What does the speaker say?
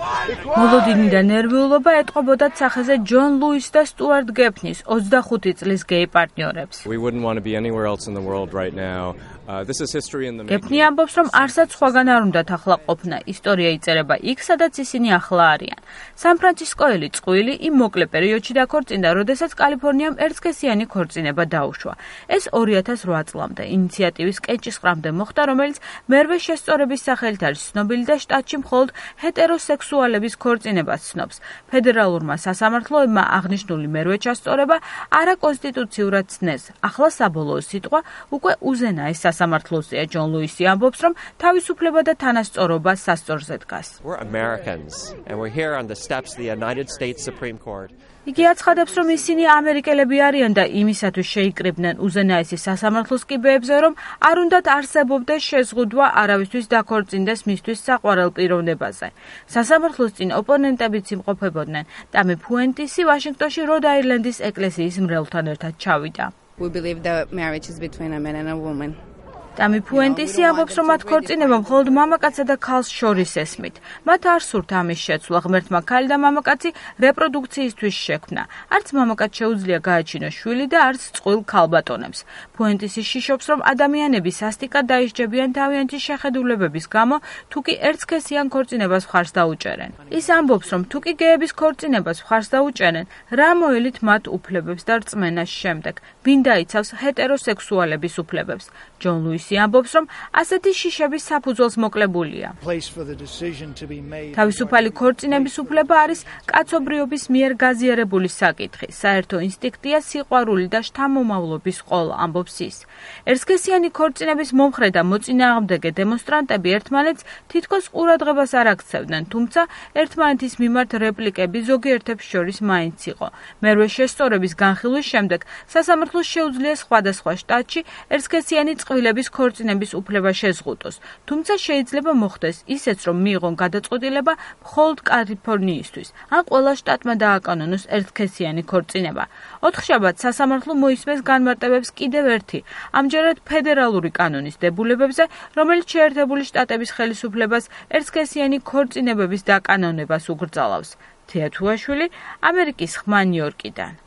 მოლოდინიდან ნერვიულობა ეტყობოდათ სახეზე ჯონ ლუის და სტუარტ გეფნის 25 წლის გეი პარტნიორებს. გეფნი ამბობს, რომ არსად სხვაგან არ უნდათ ახლა ყოფნა. ისტორია იწერება იქ, სადაც ისინი ახლა არიან. სან-ფრანცისკოელი წყვილი იმ მოკლე პერიოდში დაქორწინდა, როდესაც კალიფორნიამ ერთსქესიანი ქორწინება დაუშვა. ეს 2008 წლამდე ინიციატივის კენჭისყრამდე მოხდა, რომელიც მერვე შესწორების სახელით არის ცნობილი და შტატში მხოლოდ ჰეტეროსექსუალების ქორწინებას ცნობს. ფედერალურმა სასამართლოებმა აღნიშნული მერვე ჩასწორება არაკონსტიტუციურად ცნეს. ახლა საბოლოო სიტყვა უკვე უზენაეს სასამართლოსია. ჯონ ლუისი ამბობს, რომ თავისუფლება და თანასწორობა სასწორზე დგას. იგი აცხადებს, რომ ისინი ამერიკელები არიან და იმისათვის შეიკრიბნენ უზენაესი სასამართლოს კიბეებზე, რომ არ უნდათ არსებობდეს შეზღუდვა არავისთვის დაქორწინდეს მისთვის საყვარელ პიროვნებაზე. სასამართლოს წინ ოპონენტებიც იმყოფებოდნენ. ტამი ფუენტისი ვაშინგტონში როდ-აილენდის ეკლესიის მრევლთან ერთად ჩავიდა. ტამი ფუენტისი ამბობს, რომ მათ ქორწინება მხოლოდ მამაკაცსა და ქალს შორის ესმით. მათ არ სურთ ამის შეცვლა, ღმერთმა ქალი და მამაკაცი რეპროდუქციისთვის შექმნა. არც მამაკაც შეუძლია გააჩინოს შვილი და არც წყვილ ქალბატონებს. ფუენტისი შიშობს, რომ ადამიანები სასტიკად დაისჯებიან თავიანთი შეხედულებების გამო, თუ კი ერთსქესიან ქორწინებას მხარს დაუჭერენ. ის ამბობს, რომ თუ კი გეების ქორწინებას მხარს დაუჭერენ, რა მოელით მათ უფლებებს და რწმენას შემდეგ, ვინ დაიცავს ჰეტეროსექსუალების უფლებებს. ჯონ ლუისი ამბობს, რომ ასეთი შიშების საფუძველს მოკლებულია. თავისუფალი ქორწინების უფლება არის კაცობრიობის მიერ გაზიარებული საკითხი. საერთო ინსტინქტია სიყვარული და შთამომავლობის ყოლა, ამბობს ის. ერთსქესიანი ქორწინების მომხრე და მოწინააღმდეგე დემონსტრანტები ერთმანეთს თითქოს ყურადღებას არ აქცევდნენ, თუმცა ერთმანეთის მიმართ რეპლიკები ზოგიერთებს შორის მაინც იყო. მერვე შესწორების განხილვის შემდეგ სასამართლოს შეუძლია სხვადასხვა შტატში ერთსქესიანი წყვილების ქორწინების უფლება შეზღუდოს, თუმცა შეიძლება მოხდეს ისეც, რომ მიიღონ გადაწყვეტილება მხოლოდ კალიფორნიისთვის, ან ყველა შტატმა დააკანონოს ერთსქესიანი ქორწინება. ოთხშაბათს სასამართლო მოისმენს განმარტებებს კიდევ ერთი, ამჯერად ფედერალური კანონის დებულებებზე, რომელიც შეერთებული შტატების ხელისუფლებას ერთსქესიანი ქორწინებების დაკანონებას უკრძალავს. თეა თუაშვილი, ამერიკის ხმა, ნიუ-იორკიდან.